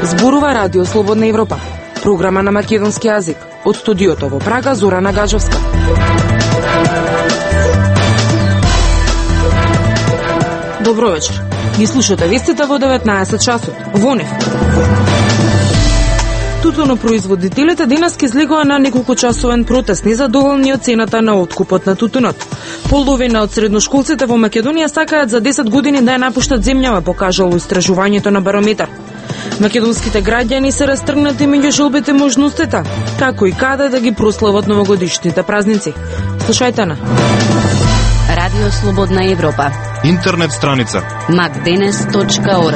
Зборува Радио Слободна Европа, програма на македонски јазик. Од студиото во Прага, Зорана Гаджовска. Добро вечер. Ги слушате вестите во 19 часот. Во нив. Тутунопроизводителите денес ке излегува на неколкучасовен протест незадоволни од цената на откупот на тутунот. Половина од средношколците во Македонија сакаат за 10 години да ја напуштат земјава, покажало истражувањето на Барометар. Македонските граѓани се растргнати меѓу желбите можностите, како и каде да ги прослават новогодишните празници. Слушајте на Радио Слободна Европа. Интернет страница macdenes.org.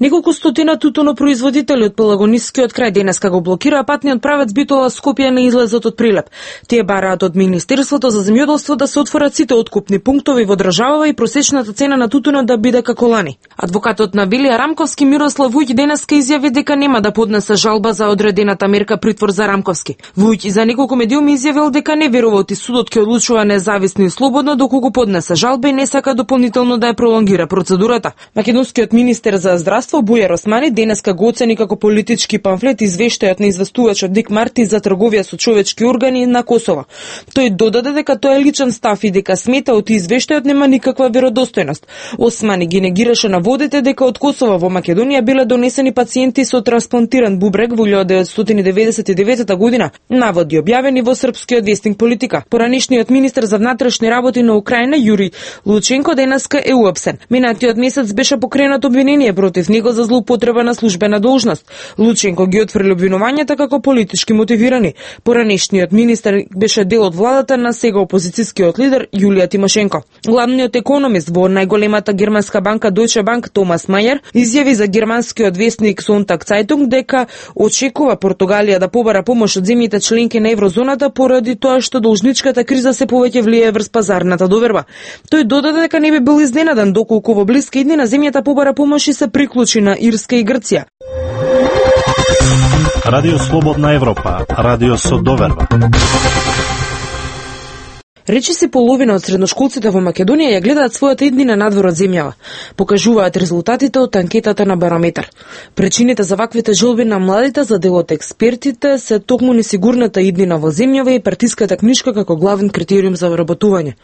Неколку стотина тутунопроизводители од Пелагонискиот крај денеска го блокираа патниот правец Битола Скопје на излезот од Прилеп. Тие бараат од Министерството за земјоделство да се отворат сите откупни пунктови во државава и просечната цена на тутунот да биде како лани. Адвокатот на Вилија Рамковски Мирослав Вујќ денеска изјави дека нема да поднесе жалба за одредената мерка притвор за Рамковски. Вујќ за неколку медиуми изјавил дека не верува и судот ќе одлучува независно и слободно доколку поднесе жалба и не сака дополнително да ја пролонгира процедурата. Македонскиот министер за здравство Бујар Османи денеска го оцени како политички памфлет извештајот на известувачот Дик Марти за трговија со човечки органи на Косово. Тој додаде дека тоа е личен став и дека смета од извештајот нема никаква веродостојност. Османи ги негираше наводите дека од Косово во Македонија биле донесени пациенти со трансплантиран бубрек во 1999 година, наводи објавени во српскиот вестник Политика. Поранешниот министер за внатрешни работи на Украина Јури Лученко денеска е уапсен. Минатиот месец беше покренато обвинение против него за злоупотреба на службена должност. Лученко ги отфрли обвинувањата како политички мотивирани. Поранешниот министер беше дел од владата на сега опозицијскиот лидер Јулија Тимошенко. Главниот економист во најголемата германска банка Deutsche Bank Томас Мајер изјави за германскиот вестник Sonntag Zeitung дека очекува Португалија да побара помош од земјите членки на еврозоната поради тоа што должничката криза се повеќе влијае врз пазарната доверба. Тој додаде дека не би бил изненадан доколку во блиски иднина земјата побара помош и се приклучи на Ирска и Грција. Радио Слободна Европа, радио со доверба. Речиси половина од средношколците во Македонија ја гледаат својата иднина надвор од земјава, покажуваат резултатите од анкетата на Барометар. Причините за ваквите желби на младите за дел од експертите се токму несигурната иднина во земјава и партиската книшка како главен критериум за вработување.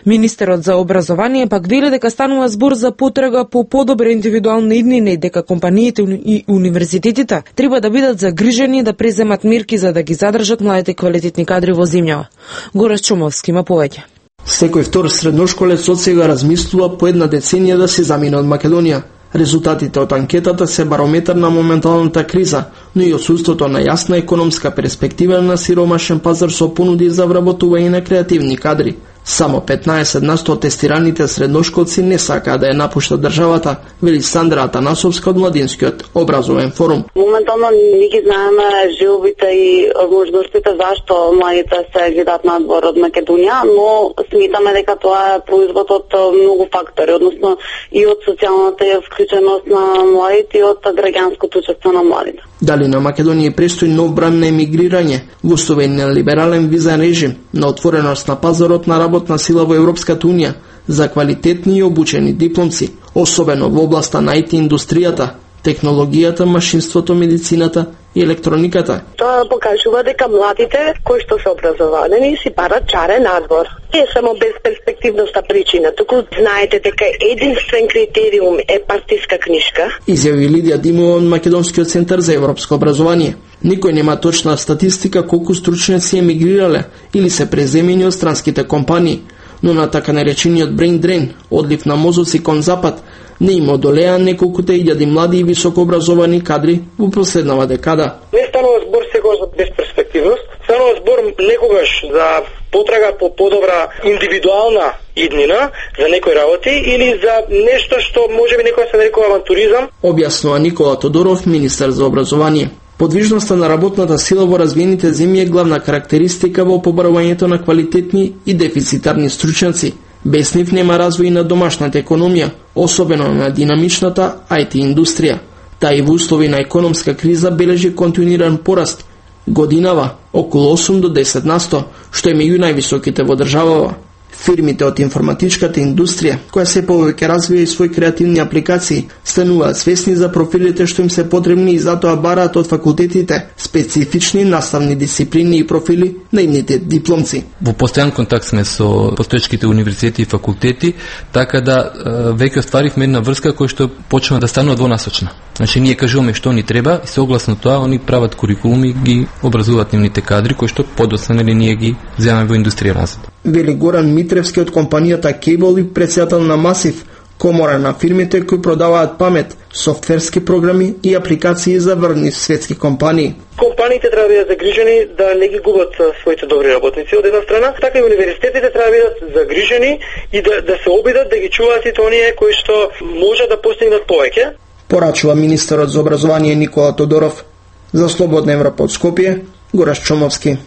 Министерот за образование пак вели дека станува збор за потрага по подобра индивидуална иднина и дека компаниите и универзитетите треба да бидат загрижени да преземат мерки за да ги задржат младите квалитетни кадри во земјава. Горас Чумовски има повеќе. Секој втор средношколец од сега размислува по една деценија да се замине од Македонија. Резултатите од анкетата се барометар на моменталната криза, но и отсуството на јасна економска перспектива на сиромашен пазар со понуди за вработување на креативни кадри. Само 15% од тестираните средношколци не сакаат да ја напуштат државата, вели Сандра Атанасовска од Младинскиот образовен форум. Моментално не ги знаеме желбите и можностите зашто младите се гледаат надвор од Македонија, но сметаме дека тоа е производ од многу фактори, односно и од социјалната вклученост на младите и од граѓанското учество на младите. Дали на Македонија престои нов бран на емигрирање, гостување на либерален визен режим, на отвореност на пазарот на работна сила во Европската Унија за квалитетни и обучени дипломци, особено во областа на IT индустријата, технологијата, машинството, медицината и електрониката. Тоа покажува дека младите кои што се образовани си барат чарен надвор. Не само безперспективноста причина, туку знаете дека единствен критериум е партиска книшка. Изјави Лидија Димова од Македонскиот центар за европско образование. Никој нема точна статистика колку стручњаци емигрирале или се преземени од странските компании, но на така наречениот brain drain, одлив на мозоци кон запад, не им одолеа неколкуте илјади млади и високообразовани кадри во последнава декада. Не станува збор сега за безперспективност, станува збор некогаш за потрага по подобра индивидуална иднина за некои работи или за нешто што можеби некој се нарекува авантуризам. Објаснува Никола Тодоров, министер за образование. Подвижноста на работната сила во развиените земји е главна карактеристика во побарувањето на квалитетни и дефицитарни стручњаци. Без нив нема развој на домашната економија, особено на динамичната IT индустрија. Таа и во услови на економска криза бележи континуиран пораст Годинава околу 8 до 10%, што е меѓу највисоките во државава. Фирмите од информатичката индустрија, која се повеќе развија и своји креативни апликации, стануваат свесни за профилите што им се потребни и затоа бараат од факултетите специфични наставни дисциплини и профили на имните дипломци. Во постојан контакт сме со постоечките универзитети и факултети, така да веќе остваривме една врска која што почнува да станува двонасочна. Значи ние кажуваме што ни треба и согласно тоа они прават курикулуми и ги образуваат нивните кадри кои што подоцна ние ги земаме во индустрија назад. Вели Горан Митревски од компанијата Cable и председател на Масив, комора на фирмите кои продаваат памет, софтверски програми и апликации за врвни светски компании. Компаниите треба да бидат загрижени да не ги губат своите добри работници од една страна, така и универзитетите треба да бидат загрижени и да се обидат да ги чуваат и оние кои што може да постигнат повеќе. Порачува министерот за образование Никола Тодоров. За Слободна Европа од Скопје, Гораш Чомовски.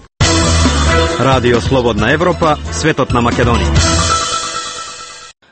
Радио Слободна Европа, светот на Македонија.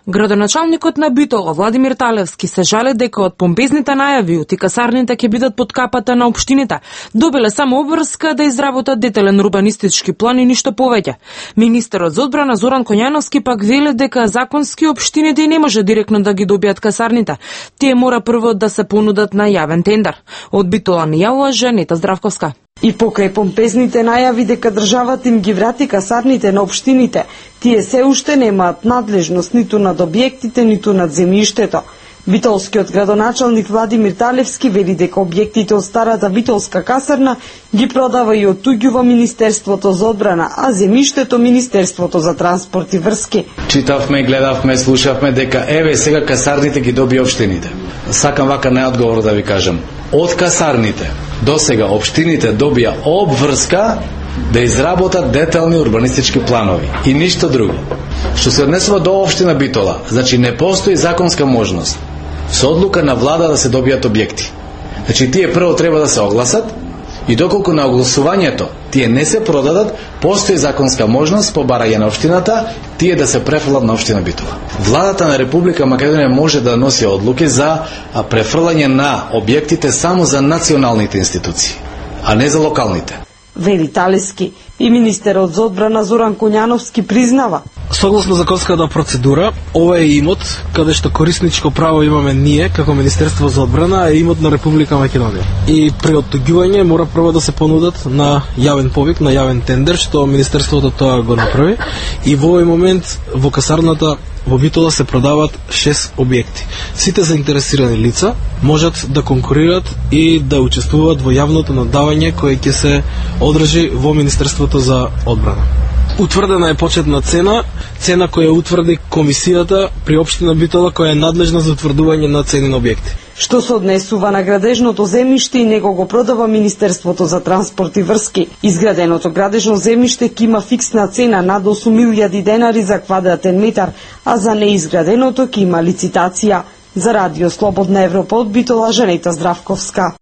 Градоначалникот на Битола, Владимир Талевски, се жале дека од помпезните најави ути касарните ќе бидат под капата на општините, добиле само обврска да изработат детелен урбанистички план и ништо повеќе. Министерот за одбрана Зоран Коњановски пак веле дека законски општините не може директно да ги добијат касарните. Тие мора прво да се понудат на јавен тендер. Од Битола ни јавува Жанета Здравковска. И покрај помпезните најави дека државата им ги врати касарните на општините, тие се уште немаат надлежност ниту над објектите, ниту над земјиштето. Битолскиот градоначалник Владимир Талевски вели дека објектите од старата Битолска касарна ги продава и оттуѓува Министерството за одбрана, а земјиштето Министерството за транспорт и врски. Читавме, гледавме, слушавме дека еве сега касарните ги доби општините. Сакам вака најодговор да ви кажам. Од касарните до сега општините добија обврска да изработат детални урбанистички планови и ништо друго. Што се однесува до општина Битола, значи не постои законска можност со одлука на влада да се добијат објекти. Значи тие прво треба да се огласат и доколку на огласувањето тие не се продадат, постои законска можност по барање на општината тие да се префрлат на општина Битола. Владата на Република Македонија може да носи одлуки за префрлање на објектите само за националните институции, а не за локалните. Вели Талевски и министерот за одбрана Зоран Коњановски признава. Согласно законската процедура, ова е имот каде што корисничко право имаме ние како Министерство за одбрана, е имот на Република Македонија. И при оттуѓување мора прво да се понудат на јавен повик, на јавен тендер, што Министерството тоа го направи. И во овој момент во касарната во Битола се продаваат 6 објекти. Сите заинтересирани лица можат да конкурират и да учествуваат во јавното наддавање кое ќе се одржи во Министерството за одбрана. Утврдена е почетна цена која утврди комисијата при општина Битола која е надлежна за утврдување на цени на објекти. Што се однесува на градежното земјиште и него го продава Министерството за транспорт и врски. Изграденото градежно земјиште ќе има фиксна цена над 8.000 денари за квадратен метар, а за неизграденото ќе има лицитација. За Радио Слободна Европа од Битола, Жанета Здравковска.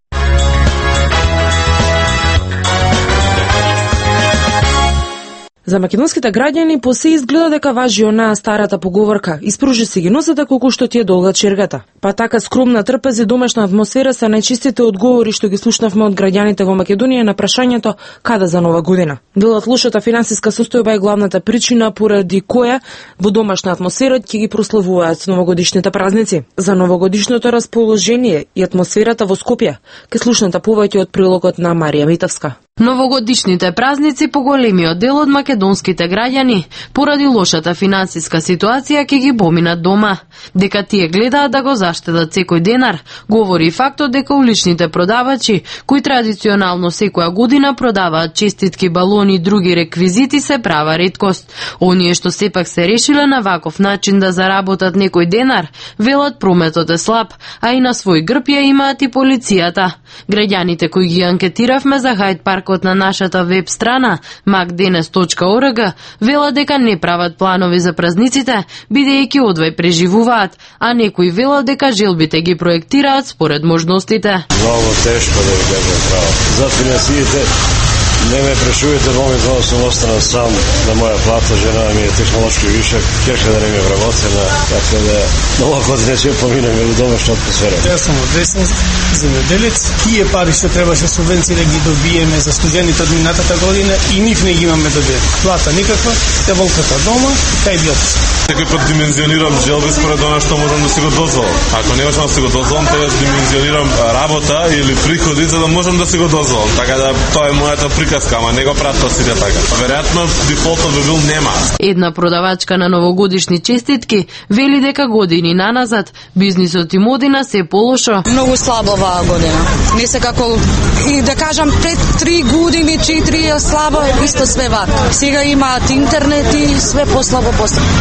За македонските граѓани по се изгледа дека важи онаа старата поговорка: испружи си ги носата колку што ти е долга чергата. Па така скромна, трпез и домашна атмосфера се најчистите одговори што ги слушнавме од граѓаните во Македонија на прашањето каде за нова година. Велат лошата финансиска состојба е главната причина поради која во домашна атмосфера ќе ги прославуваат новогодишните празници. За новогодишното расположение и атмосферата во Скопје ке слушнете повеќе од прилогот на Марија Митовска. Новогодишните празници по големиот дел од македонските граѓани поради лошата финансиска ситуација ќе ги поминат дома. Дека тие гледаат да го заштедат секој денар, говори и фактот дека уличните продавачи, кои традиционално секоја година продаваат честитки, балони и други реквизити, се права реткост. Оние што сепак се решиле на ваков начин да заработат некој денар, велат прометот е слаб, а и на свој грб ја имаат и полицијата. Граѓаните кои ги анкетиравме за Хајд паркот на нашата веб страна macdenes.org велат дека не прават планови за празниците, бидејќи одвај преживуваат, а некои велат дека желбите ги проектираат според можностите. Много тешко да ви кажам право. За финансиите Не ме прашувате, моментално сум останал сам на моја плата, жена ми е технолошки вишак, керка да не ми е вработена, така да много години ќе поминаме во домашна атмосфера. Јас сум одвесен земјоделец, тие пари што требаше субвенции да ги добиеме за студентите од минатата година и нив не ги имаме добиен. Плата никаква, те волката дома, кај биот. Секој пат димензионирам желби според она што можам да си го дозволам. Ако не можам да си го дозволам, треба да димензионирам работа или приходи за да можам да си го дозволам. Така да тоа е мојата приказка, ама не го пратат сите така. Веројатно дефолтот би бил нема. Една продавачка на новогодишни честитки вели дека години наназад бизнисот им одина се полошо. Многу слабо оваа година. Не се како и да кажам пред 3 години, 4 е слабо, исто све вак. Сега имаат интернет и све послабо.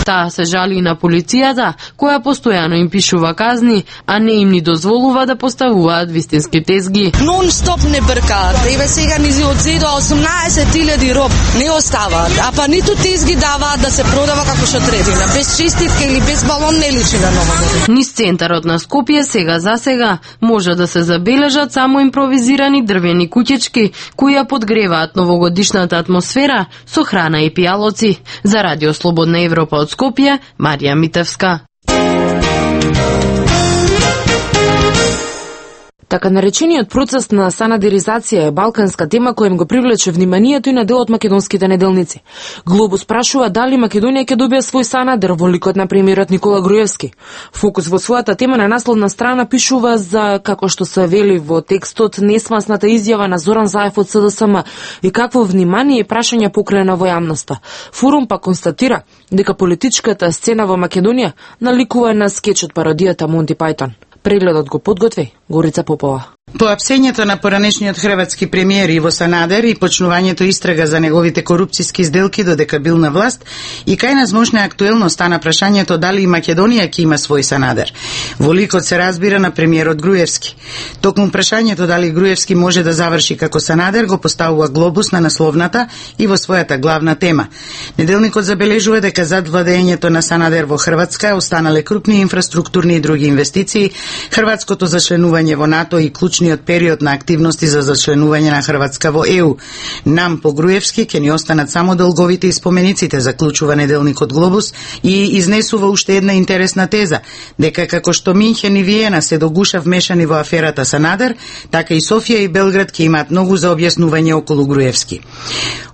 Таа се жали на полицијата, која постојано им пишува казни, а не им ни дозволува да поставуваат вистински тезги. Нон-стоп не бркаат. Еве сега ни одзедо 18.000 роб не оставаат, а па ниту тезги даваат да се продава како што третина. Без честитка или без балон не личи на нова година. Низ центарот на Скопје сега може да се забележат само импровизирани дрвени куќички кои ја подгреваат новогодишната атмосфера со храна и пијалоци. За Радио Слободна Европа од Скопје, Марија Митевска. Така наречениот процес на санадеризација е балканска тема која им го привлече вниманието и на дел од македонските неделници. Глобус прашува дали Македонија ќе добие свој санадер во ликот на премиерот Никола Груевски. Фокус во својата тема на насловна страна пишува за, како што се вели во текстот, несмасната изјава на Зоран Заев од СДСМ и какво внимание и прашања покрена во јавноста. Форум па констатира дека политичката сцена во Македонија наликува на скечот пародијата Монти Пајтон. Прегледот го подготви Горица Попова. По апсењето на поранешниот хрватски премиер Иво Санадер и почнувањето истрага за неговите корупциски сделки додека бил на власт, и кај нас мощна актуелно стана прашањето дали и Македонија ќе има свој Санадер. Во ликот се разбира на премиерот Груевски. Токму прашањето дали Груевски може да заврши како Санадер го поставува Глобус на насловната и во својата главна тема. Неделникот забележува дека зад владењето на Санадер во Хрватска останале крупни инфраструктурни и други инвестиции, хрватското зачленување во НАТО и клучниот период на активности за зачленување на Хрватска во ЕУ. Нам по Груевски ќе ни останат само долговите и спомениците, заклучува неделникот Глобус и изнесува уште една интересна теза, дека како што Минхен и Виена се догуша вмешани во аферата Санадер, така и Софија и Белград ќе имаат многу за објаснување околу Груевски.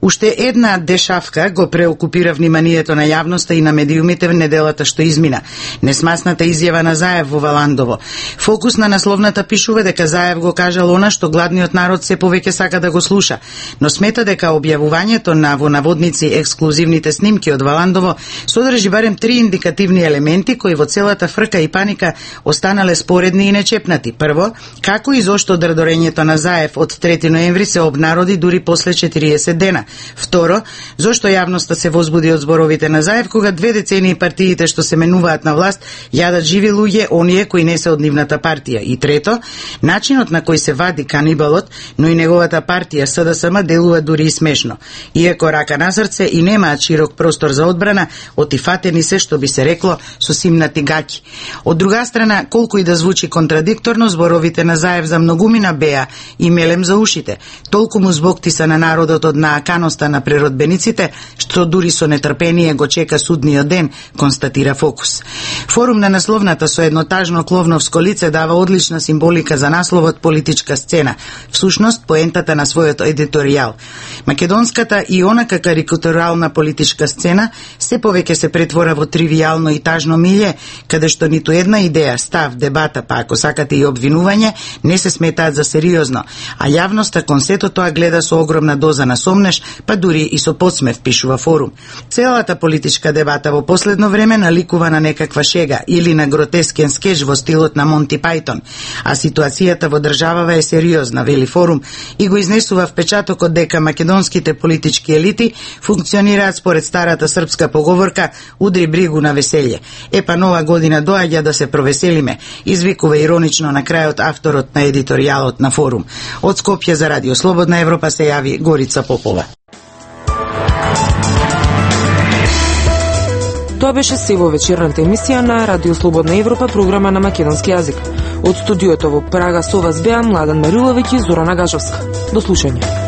Уште една дешавка го преокупира вниманието на јавноста и на медиумите в неделата што измина. Несмасната изјава на Заев во Валандово. Фокус на насловната пишува дека Заев го кажал она што гладниот народ се повеќе сака да го слуша, но смета дека објавувањето на во наводници ексклузивните снимки од Валандово содржи барем 3 индикативни елементи кои во целата фрка и паника останале споредни и нечепнати. Прво, како и зошто дредорењето на Заев од 3 ноември се обнароди дури после 40 дена. Второ, зошто јавноста се возбуди од зборовите на Заев кога 2 децении партиите што се менуваат на власт јадат живи луѓе, оние кои не се од нивната партија. И трето, начинот на кој се вади канибалот, но и неговата партија СДСМ делува дури и смешно. Иако рака на срце и немаат широк простор за одбрана, отифатени се, што би се рекло, со симнати гаќи. Од друга страна, колку и да звучи контрадикторно, зборовите на Заев за многумина беа и мелем за ушите. Толку му збогти са на народот од нааканоста на преродбениците, што дури со нетрпение го чека судниот ден, констатира Фокус. Форум на насловната со еднотажно кловновско лице дава одлична символика за насловот политичка сцена, всушност поентата на својот едиторијал. Македонската и онака карикатурална политичка сцена се повеќе се претвора во тривијално и тажно милје, каде што ниту една идеја, став, дебата, па ако сакате и обвинување, не се сметаат за сериозно, а јавноста кон сето тоа гледа со огромна доза на сомнеш, па дури и со подсмев, пишува Форум. Целата политичка дебата во последно време наликува на некаква шега или на гротескен скеч во стилот на Монти Пајтон, а ситуацијата во државава е сериозна, вели Форум, и го изнесува впечатокот дека македонските политички елити функционираат според старата српска поговорка "Удри бригу на веселје". Епа нова година доаѓа да се провеселиме, извикува иронично на крајот авторот на едиторијалот на Форум. Од Скопје за Радио Слободна Европа се јави Горица Попова. Тоа беше се во вечерната емисија на Радио Слободна Европа, програма на македонски јазик. Од студиото во Прага со вас беа Младен Мариловиќ и Зорана Гажовска. До слушање.